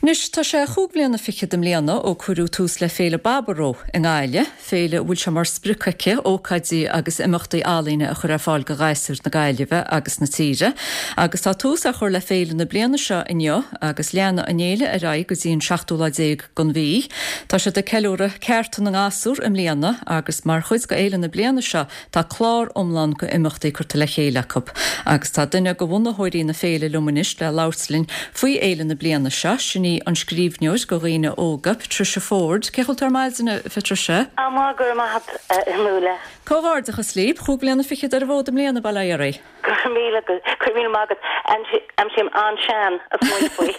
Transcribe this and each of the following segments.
Anois, tá sé chúig bhliana fichead i mbliana ó cuireadh tús le Féile Baboró i nGaillimh, féile a bhfuil sé mar sprioc aici ócáidí agus imeachtaí ealaíne a chur ar fáil do ghasúir na Gaillimhe agus na tíre. Agus tá tús á chur le féile na bliana seo inniu agus leanfaidh an fhéile ar aghaidh go dtí an seachtú lá déag den mhí. Tá siad ag ceiliúradh cearta na ngasúr i mbliana agus mar chuid de fhéile na bliana seo Tá clár iomlán go imeachtaí curtha le chéile acu agus tá duine de bhunaitheoirí na féile liom anois le labhairt linn faoi fhéile na bliana seo, sin í an scríbhneoir go dhaoine óga, Patricia Forde. Cén chaoi a bhfuil tú ar maidin, a Phatricia? Á, maith, go raibh maith agat, a Fhionnuala. Comhghairdeachas libh, chúig bhliana fichead ar an bhfód i mbliana, bail ó Dhia oraibh. Go raibh míle, go raibh míle maith agat. Aimsím an-sean ag smaoineamh faoi.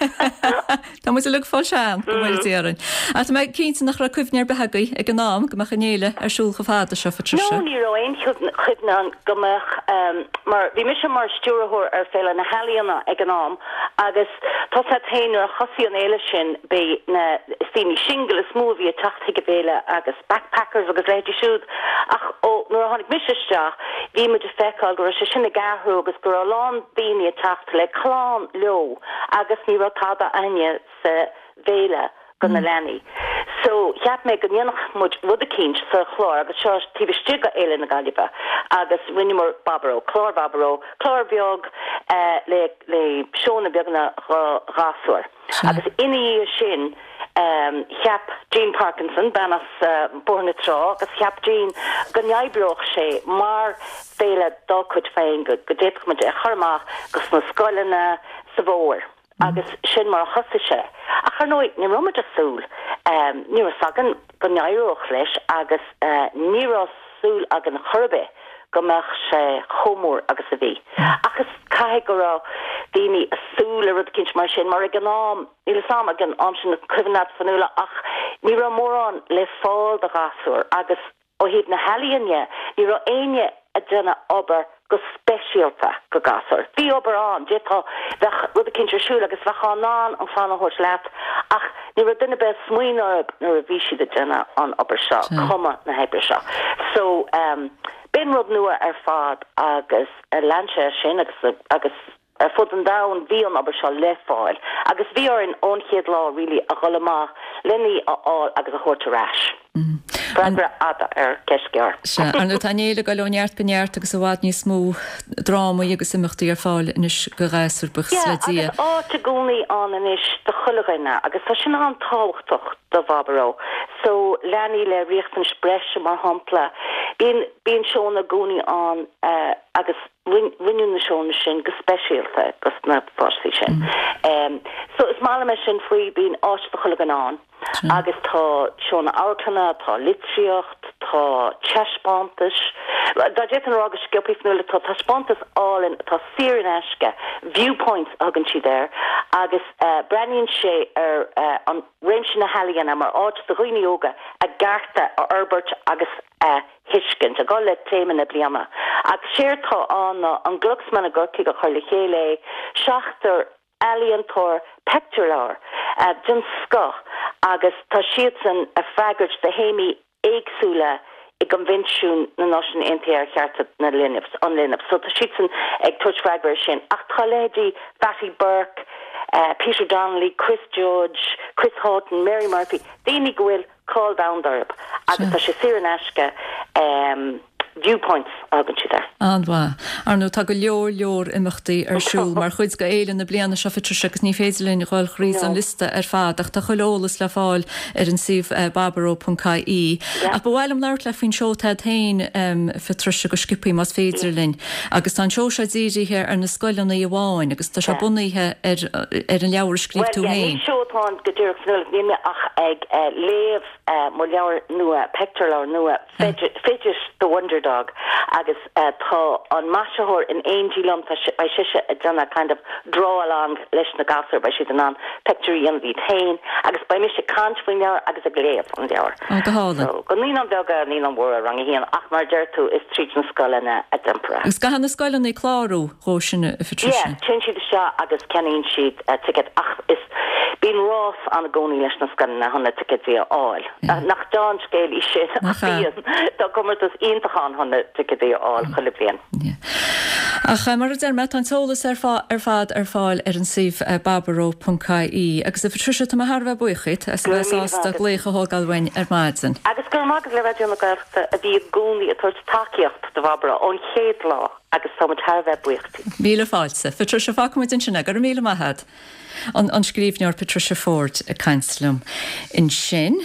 Tá muid uilig ag fáil sean, go bhfóire Dia orainn. Ach tá mé cinnte nach raibh cuimhne ar bith agaibh ag an am go mbeadh an fhéile ar siúl chomh fada seo, Patricia. No, ní raibh aon chuimhne ann go mbeadh, mar bhí mise mar stiúrthóir ar Féile na hEalaíona ag an am agus tá 's a't féin nuair a thosaigh an fhéile sin b'é na, is daoine singil is mó a bhí ag teacht chuig an bhféile agus backpackers agus leithéidí siúd ach ó nuair a tháinig mise isteach bhí muid ag feiceáil go raibh sé sin ag athrú agus go raibh a lán daoine ag teacht le clann leo agus ní raibh tada a'inne sa bhféile go na leanaí. So cheap mé go ndéanfadh muid rud eicínt sa chlár agus seo taobh istigh go Fhéile na Gaillimhe agus rinneamar Baboró, clár Bhaboró, clár beag le le seónna beaga do ghasúir. Agus ina dhiaidh sin cheap Jean Parkinson, bean as Bóthar na Trá, agus cheap Jean go n-oibreodh sé mar féile dá cuid féin, go d'fhéadfadh muid é a chur amach go sna scoileanna sa bhfómhar. Agus sin mar a thosaigh sé. Ach ar ndóigh, ní raibh muid ag súil, ní raibh 's againn go n-éireodh leis agus ní raibh súil againn chor ar bith go mbeadh sé chomh mór agus a bhí. Ach is caithfidh go raibh daoine ag súil le rud eicínt mar sin, mar ag an am, níl 'fhios a'm ag an am sin an cuimhin leat Fionnuala, ach ní raibh mórán le fáil do ghasúir agus ó thaobh na healaíne ní raibh éinne ag déanamh obair go speisialta go gasúir. Bhí obair ann, d'fhéadfá, bheadh rud eicínt ar siúl agus bheifeá in ann an chlann a thabhairt leat ach ní raibh duine ar bith ag smaoineamh orthu nuair a bhí siad ag déanamh an obair seo, cumadh na hoibre seo. So, b'in rud nua ar fad agus lean sé as sin agus, agus ar fud an domhain bhí an obair seo le fáil agus bhí orainn ón chéad lá really a dhul amach len í a fháil agus a thabhairt ar ais. Freagra fhada ar cheist ghearr. Sea, ar ndóigh tá an fhéile ag dul ó neart go neart agus i bhfad níos mó drámaí agus imeachtaí ar fáil anois go ghasúir, buíochas le Dia. Yeah, agus áit i gcónaí ann anois do chuile dhuine agus tá sin an-tábhachtach do Bhaboró. So, leanaí le riachtanais breise mar shampla, bíonn, bíonn seónna i gcónaí ann agus Rinneadh na seónna sin go speisialta dos na páistí sin. So is maith liom é sin faoi, bíonn áit do chuile dhuine ann agus tá seónna amharclainne, tá litríocht, tá taispeántais. Dá d'fhéadfainn a rá go sciobthaí Fionnuala, tá taispeántas álainn atá saor in aisce, Viewpoints a thugann siad air, agus breathnaíonn sé ar an réimse na healaíona mar áit do dhaoine óga a gcearta a fhorbairt agus a thuiscint, ag dul le téama na bliana. Ach séard tá ann ná an Glucksman i gCorcaigh a chuir le chéile é, seachtar ealaíontóir peictiúrleabhar den scoth agus tá siadsan ag freagairt do théamaí éagsúla i gCoinbhinsiún na Náisiún Aontaithe ar Chearta na Linbh, an Linbh. So tá siadsan ag tabhairt freagra ar sin. Ach tá leithéidí Fatty Burke, Peter Donnelly, Chris Judge, Chris Haughton, Mary Murphy, daoine go bhfuil cáil domhanda orthu agus tá sé saor in aisce, Viewpoints a thugann siad air. An-mhaith. Ar ndóigh tá go leor leor imeachtaí ar siúl mar chuid de fhéile na bliana seo Patricia agus ní féidir linn dhul thríd an liosta ar fad ach tá chuile eolas le fáil ar an suíomh baboró.ie. Ach ba mhaith liom labhairt leat faoin seó atá agat féin Patricia go sciobthaí más féidir linn. Agus tá an seó seo dírithe ar na scoileanna amháin agus tá sé bunaithe ar ar an leabhar a scríobh tú Bhuel, yeah, féin. ní seó atá ann go díreach Fionnuala, níl mé ach ag léamh mo leabhar nua, peictiúrleabhar nua, Fidget the Wonder Dog, agus tá an maisitheoir in éindí liom, tá beidh sise ag déanamh kind of draw along leis na gasúir, beidh siad in ann peictiúirí a dhéanamh iad féin, agus beidh mise ag caint faoin leabhar agus ag léamh an leabhair. Ó, go hálainn. So, go naíonáin bheaga, naíonáin mhóra, rang a haon, ach mar a deir tú, is tríd na scoileanna a déanfar é. Agus caithfidh na scoileanna clárú dhó sin, a Phatricia? Yeah, téann siad isteach agus ceannaíonn siad ticéad ach is, bíonn rás ann i gcónaí leis na scoileanna chun na ticéidí a fháil. Nach deá-scéal í sin ach bíonn, tá comórtas iontach ann. ann chun na ticéadaí a fháil chuile bhliain. Ach mar a deir mé, tá an t-eolas ar fad ar fáil ar an suíomh baboró.ie. Agus a Phatricia, tá mé thar a bheith buíoch díot as a Go raibh bheith míle maith sásta agat. glaoch a thógáil uainn ar maidin. Agus go raibh maith agat le Raidió na Gaeltachta a bhí i gcónaí ag tabhairt tacaíocht do Bhaboró ón chéad lá agus tá muid thar a bheith buíoch díot. Míle fáilte. Patricia, fágfaidh muid ansin é. Go raibh míle maith agat. An scríbhneoir Patricia Forde ag caint liom ansin.